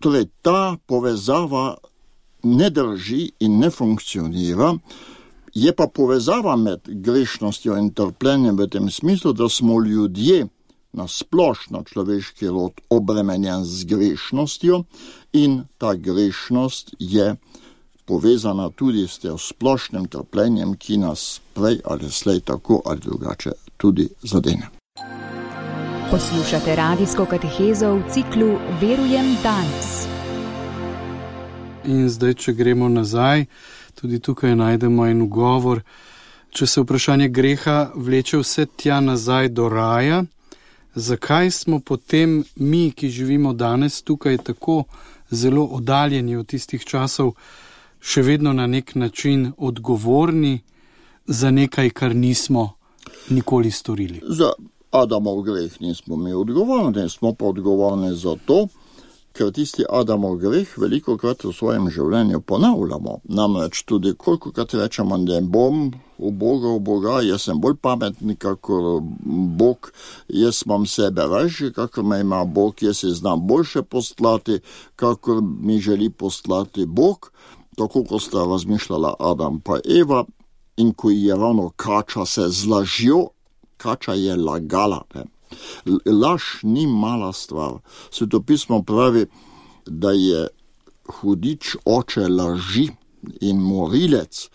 Torej, ta povezava ne drži in ne funkcionira, je pa povezava med grešnostjo in trpljenjem v tem smislu, da smo ljudje na splošno človeški rod obremenjen z grešnostjo in ta grešnost je povezana tudi s tem splošnim trpljenjem, ki nas prej ali slej tako ali drugače tudi zadene. Poslušate radijsko katehezo v ciklu Verujem danes. In zdaj, če gremo nazaj, tudi tukaj najdemo en ugovor. Če se vprašanje greha vleče vse tja nazaj do raja, zakaj smo potem mi, ki živimo danes tukaj, tako zelo oddaljeni od tistih časov, še vedno na nek način odgovorni za nekaj, kar nismo nikoli storili? Za Adamov greh nismo mi odgovorni, smo pa odgovorni za to, ker tisti Adamov greh velikokrat v svojem življenju ponavljamo. Namreč tudi kolikokrat rečemo, da bom v Boga, jaz sem bolj pametni kakor Bog, jaz imam sebe ražji, kakor me ima Bog, jaz se znam boljše postlati, kakor mi želi postlati Bog, tako kot sta razmišljala Adam pa Eva, in ko je ravno kača se z lažjo, kača je lagala. Laž ni mala stvar. Svetopismo pravi, da je hudič oče laži in morilec,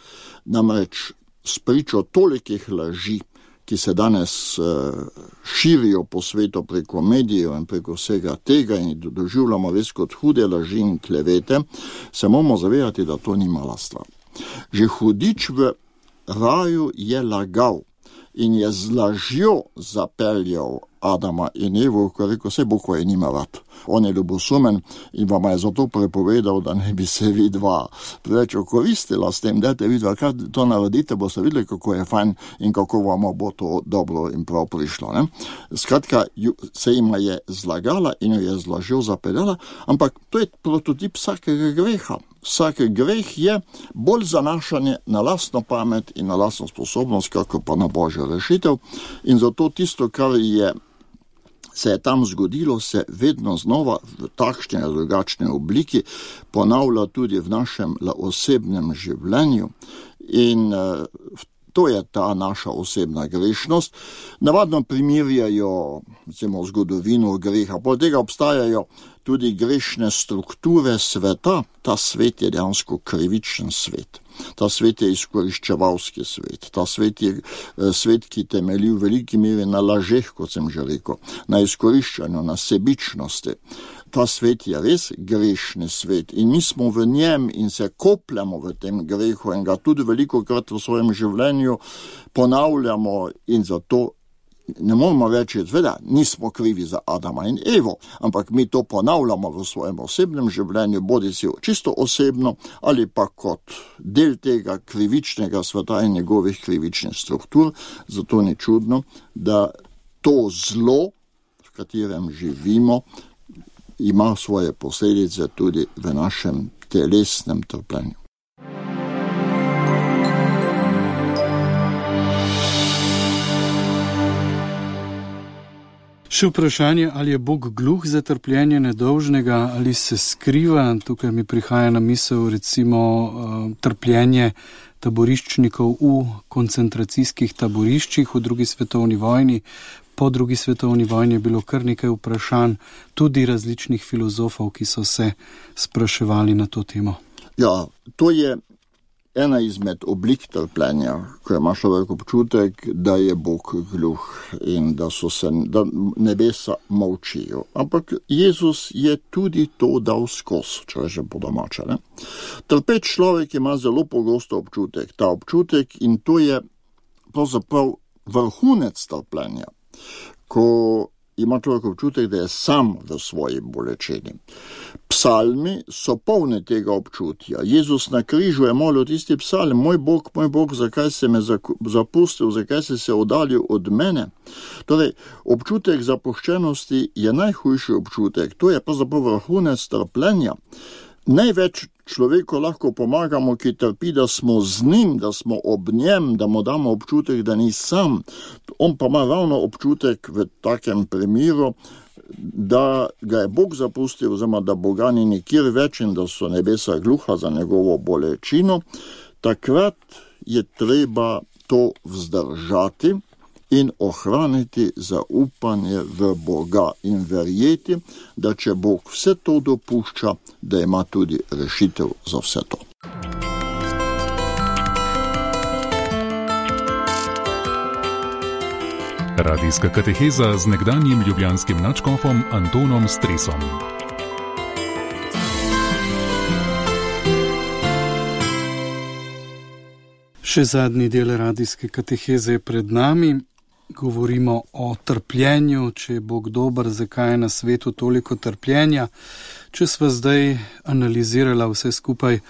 namreč spričo tolikih laži, ki se danes širijo po svetu preko medijev in preko vsega tega in doživljamo res kot hude laži in klevete, se moramo zavedati, da to ni mala stvar. Že hudič v raju je lagal in je z lažjo zapeljal Adama in Evo, ko je rekel, vse Bog je nima rad. On je ljubosumen in vam je zato prepovedal, da ne bi se vi dva preveč okoristila s tem, dajte vidva, kaj to naredite, boste videli, kako je fajn in kako vam bo to dobro in prav prišlo. Ne? Skratka, se jima je zlagala in jo je z lažjo zapeljala, ampak to je prototip vsakega greha. Vsak greh je bolj zanašanje na lastno pamet in na lastno sposobnost, kako pa na Božjo rešitev. In zato tisto, kar se je tam zgodilo, se vedno znova v takšni ali drugačni obliki ponavlja tudi v našem osebnem življenju. In to je ta naša osebna grešnost. Navadno primerjajo zgodovino greha. Poleg tega obstajajo tudi grešne strukture sveta. Ta svet je dejansko krivičen svet. Ta svet je izkoriščevalski svet. Ta svet je svet, ki temelji v veliki meri na lažeh, kot sem že rekel, na izkoriščanju, na sebičnosti. Ta svet je res grešni svet in mi smo v njem in se kopljamo v tem grehu in ga tudi velikokrat v svojem življenju ponavljamo in zato ne moramo reči, da nismo krivi za Adama in Evo, ampak mi to ponavljamo v svojem osebnem življenju, bodi si čisto osebno ali pa kot del tega krivičnega sveta in njegovih krivičnih struktur. Zato ni čudno, da to zlo, v katerem živimo, ima svoje posledice tudi v našem telesnem trpljenju. Še vprašanje, ali je Bog gluh za trpljenje nedolžnega, ali se skriva. Tukaj mi prihaja na misel recimo trpljenje taboriščnikov v koncentracijskih taboriščih v drugi svetovni vojni. Po drugi svetovni vojni je bilo kar nekaj vprašanj, tudi različnih filozofov, ki so se spraševali na to temo. Ja, to je ena izmed oblik trpljenja, ko ima človek občutek, da je Bog gluh in da nebesa molčijo. Ampak Jezus je tudi to dal skozi, če že po domače. Trpeč človek ima zelo pogosto občutek, ta občutek, in to je pravzaprav vrhunec trpljenja, ko ima človek občutek, da je sam v svoji bolečini. Psalmi so polni tega občutja. Jezus na križu je molil tisti psalm: moj Bog, zakaj si me zapustil, zakaj si se oddaljil od mene? Torej, občutek zapuščenosti je najhujši občutek. To je pravzaprav vrhunec trpljenja. Največ človeku lahko pomagamo, ki trpi, da smo z njim, da smo ob njem, da mu damo občutek, da ni sam. On pa ima ravno občutek v takem primeru, da ga je Bog zapustil, oziroma da Boga ni nikjer več in da so nebesa gluha za njegovo bolečino. Takrat je treba to vzdržati in ohraniti zaupanje v Boga in verjeti, da če Bog vse to dopušča, da ima tudi rešitev za vse to. Radijska kateheza z nekdanjim ljubljanskim nadškofom Antonom Stresom. Še zadnji del radijske kateheze je pred nami. Govorimo o trpljenju, če je Bog dober, zakaj je na svetu toliko trpljenja. Če sva zdaj analizirala vse skupaj,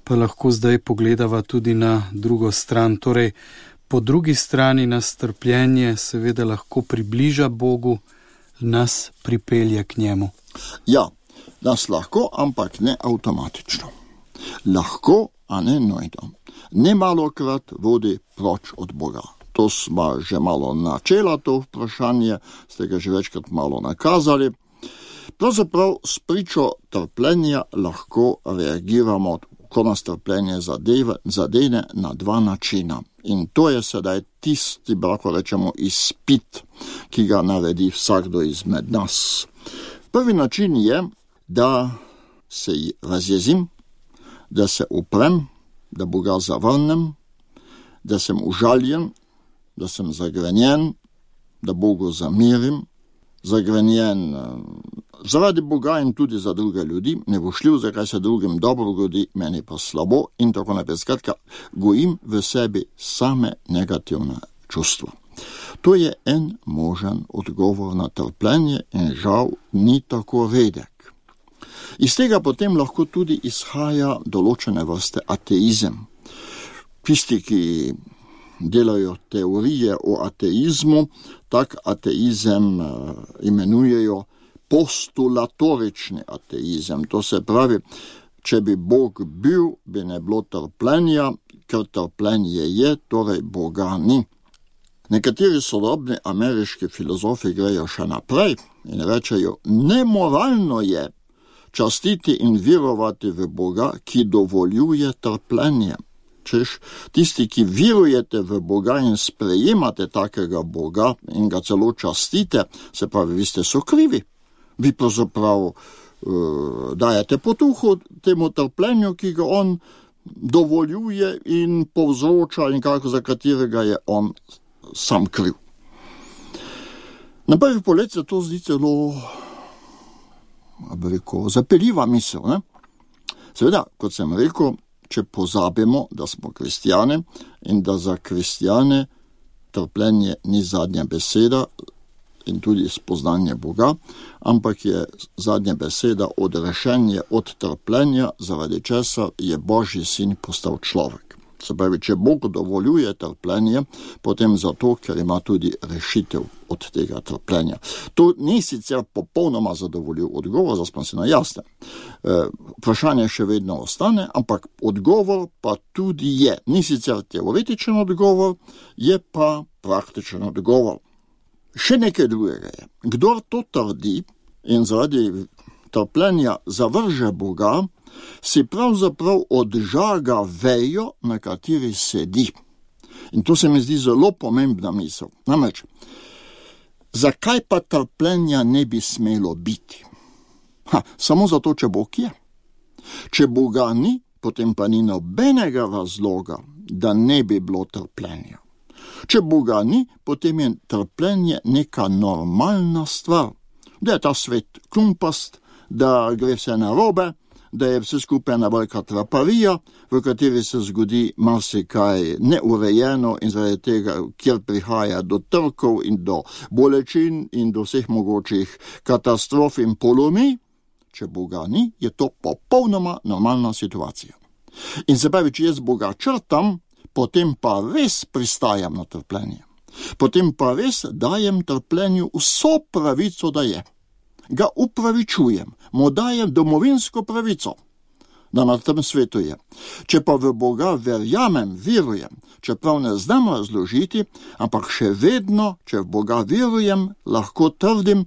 pa lahko zdaj pogledava tudi na drugo stran. Torej, po drugi strani nas trpljenje seveda lahko približa Bogu, nas pripelje k njemu. Ja, nas lahko, ampak ne avtomatično. Lahko, a ne nujno. Nemalokrat vodi proč od Boga. To smo že malo načela, to vprašanje, ste ga že večkrat malo nakazali. Pravzaprav s pričo trpljenja lahko reagiramo, ko nas trpljenje zadene na dva načina. In to je sedaj tisti, lahko rečemo, izpit, ki ga naredi vsakdo izmed nas. Prvi način je, da se razjezim, da se uprem, da Boga zavrnem, da sem užaljen, da sem zagrenjen, da Bogu zamirim, zagrenjen zaradi Boga in tudi za druge ljudi, nevošljiv, zakaj se drugim dobro godi, meni pa slabo in tako naprej. Skratka, gojim v sebi same negativne čustva. To je en možen odgovor na trpljenje in žal ni tako redek. Iz tega potem lahko tudi izhaja določene vrste ateizem. Tisti, ki delajo teorije o ateizmu, tak ateizem imenujejo postulatorični ateizem. To se pravi, če bi Bog bil, bi ne bilo trpljenja, ker trpljenje je, torej Boga ni. Nekateri sodobni ameriški filozofi grejo še naprej in rečejo, nemoralno je častiti in verovati v Boga, ki dovoljuje trpljenje. Češ, tisti, ki verujete v Boga in sprejemate takega Boga in ga celo častite, se pravi, vi ste so krivi. Vi pravzaprav dajete potuho temu trpljenju, ki ga on dovoljuje in povzroča in za katerega je on sam kriv. Na prvi pogled se to zdi celo zapeljiva misel. Ne? Seveda, kot sem rekel, če pozabimo, da smo kristjane in da za kristjane trpljenje ni zadnja beseda in tudi spoznanje Boga, ampak je zadnja beseda odrešenje od trpljenja, zaradi česa je Božji sin postal človek. Se pravi, če Bog dovoljuje trpljenje, potem zato, ker ima tudi rešitev od tega trpljenja. To ni sicer popolnoma zadovoljiv odgovor, zdaj smo si na jasnem. Vprašanje še vedno ostane, ampak odgovor pa tudi je. Ni sicer teoretičen odgovor, je pa praktičen odgovor. Še nekaj drugega je. Kdor to trdi in zaradi trpljenja zavrže Boga, si pravzaprav odžaga vejo, na kateri sedi. In to se mi zdi zelo pomembna misel. Namreč, zakaj pa trpljenja ne bi smelo biti? Samo zato, če Bog je. Če Boga ni, potem pa ni nobenega razloga, da ne bi bilo trpljenja. Če Boga ni, potem je trpljenje neka normalna stvar. Da je ta svet klumpast, da gre vse narobe, da je vse skupaj ena velika traparija, v kateri se zgodi marsikaj neurejeno in zaradi tega, kjer prihaja do trkov in do bolečin in do vseh mogočih katastrof in polomij. Če Boga ni, je to popolnoma normalna situacija. In se pravi, če jaz Boga črtam, potem pa res pristajam na trpljenje. Potem pa res dajem trpljenju vso pravico, da je. Ga upravičujem, mu dajem domovinsko pravico, da na tem svetu je. Če pa v Boga verujem, čeprav ne znam razložiti, ampak še vedno, če v Boga verujem, lahko trdim,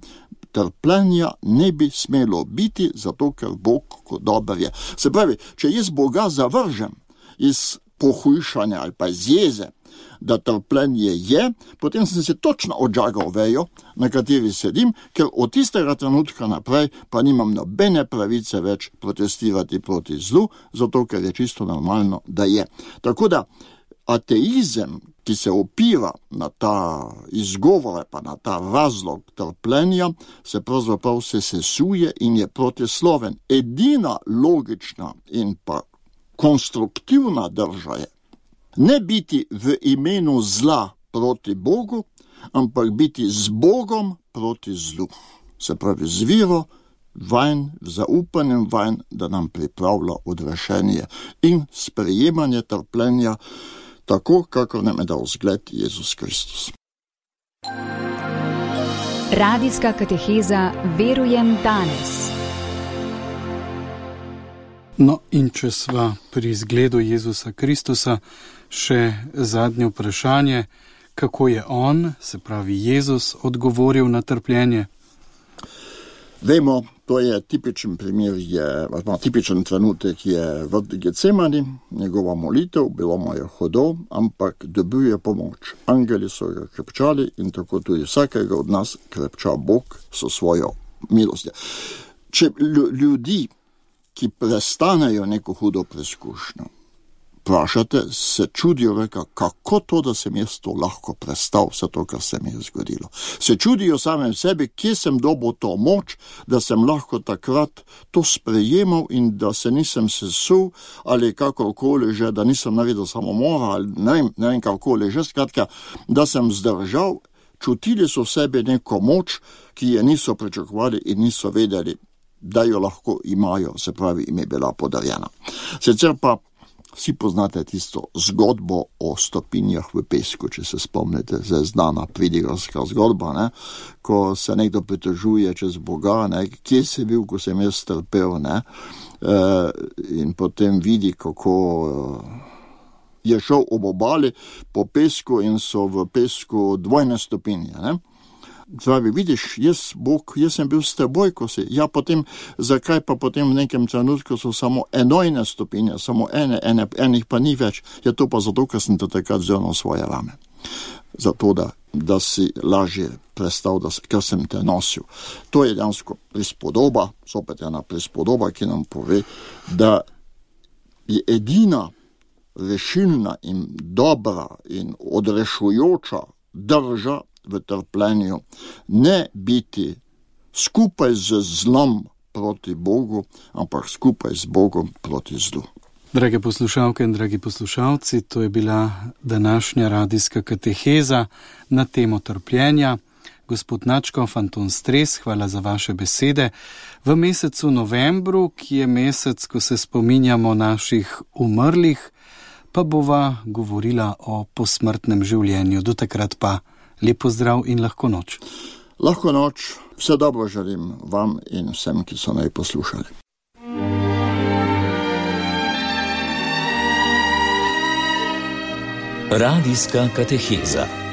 trpljenja ne bi smelo biti, zato ker Bog kot dober je. Se pravi, če jaz Boga zavržem iz pohujšanja ali pa iz jeze, da trpljenje je, potem sem se točno odžagal vejo, na kateri sedim, ker od tistega trenutka naprej pa nimam nobene pravice več protestirati proti zlu, zato ker je čisto normalno, da je. Tako da ateizem, ki se opira na ta izgovore, pa na ta razlog trpljenja, se pravzaprav se sesuje in je protisloven. Edina logična in pa konstruktivna drža je ne biti v imenu zla proti Bogu, ampak biti z Bogom proti zlu. Se pravi z vero vanj, zaupanjem vanj, da nam pripravlja odrešenje in sprejemanje trpljenja, tako, kakor nam je dal zgled Jezus Kristus. Radijska kateheza Verujem danes. No, in če sva pri zgledu Jezusa Kristusa, še zadnje vprašanje, kako je on, se pravi Jezus, odgovoril na trpljenje? Vemo, to je tipičen primer, tipičen trenutek je v Getsemani, njegova molitev, bilo mu je hudo, ampak dobil je pomoč. Angeli so ga krepčali in tako tudi vsakega od nas krepča Bog so svojo milostjo. Če ljudi, ki prestanejo neko hudo preizkušnjo, vprašate, se čudijo, kako to, da sem jaz to lahko prestal, vse to, kar se mi je zgodilo. Se čudijo samem sebi, kje sem dobil to moč, da sem lahko takrat to sprejemal in da se nisem sesul ali kakorkoli že, da nisem naredil samomora ali ne vem kakorkoli že, skratka, da sem zdržal, čutili so v sebi neko moč, ki je niso pričakovali in niso vedeli, da jo lahko imajo, se pravi, im je bila podarjena. Sicer pa vsi poznate tisto zgodbo o stopinjah v pesku, če se spomnite, zdaj znana pridigarska zgodba, ne? Ko se nekdo pritožuje čez Boga, ne? Kje si bil, ko sem jaz trpel, ne? In potem vidi, kako je šel ob obali po pesku in so v pesku dvojne stopinje, ne? Pravi, vidiš, Bog, jaz sem bil s teboj, ko si. Ja, potem, zakaj pa potem v nekem trenutku so samo enojne stopinje, samo enih pa ni več. Je to pa zato, ker sem te takrat vzel na svoje rame. Zato, da si lažje prestal, ker sem te nosil. To je dejansko prispodoba, zopet ena prispodoba, ki nam pove, da je edina rešilna in dobra in odrešujoča drža v trpljenju, ne biti skupaj z zlom proti Bogu, ampak skupaj z Bogom proti zlu. Drage poslušalke in dragi poslušalci, to je bila današnja radijska kateheza na temo trpljenja. Gospod Nadškof Anton Stres, hvala za vaše besede. V mesecu novembru, ki je mesec, ko se spominjamo naših umrlih, pa bova govorila o posmrtnem življenju. Do takrat pa lep pozdrav in lahko noč. Lahko noč, vse dobro želim vam in vsem, ki so naj poslušali. Radijska kateheza.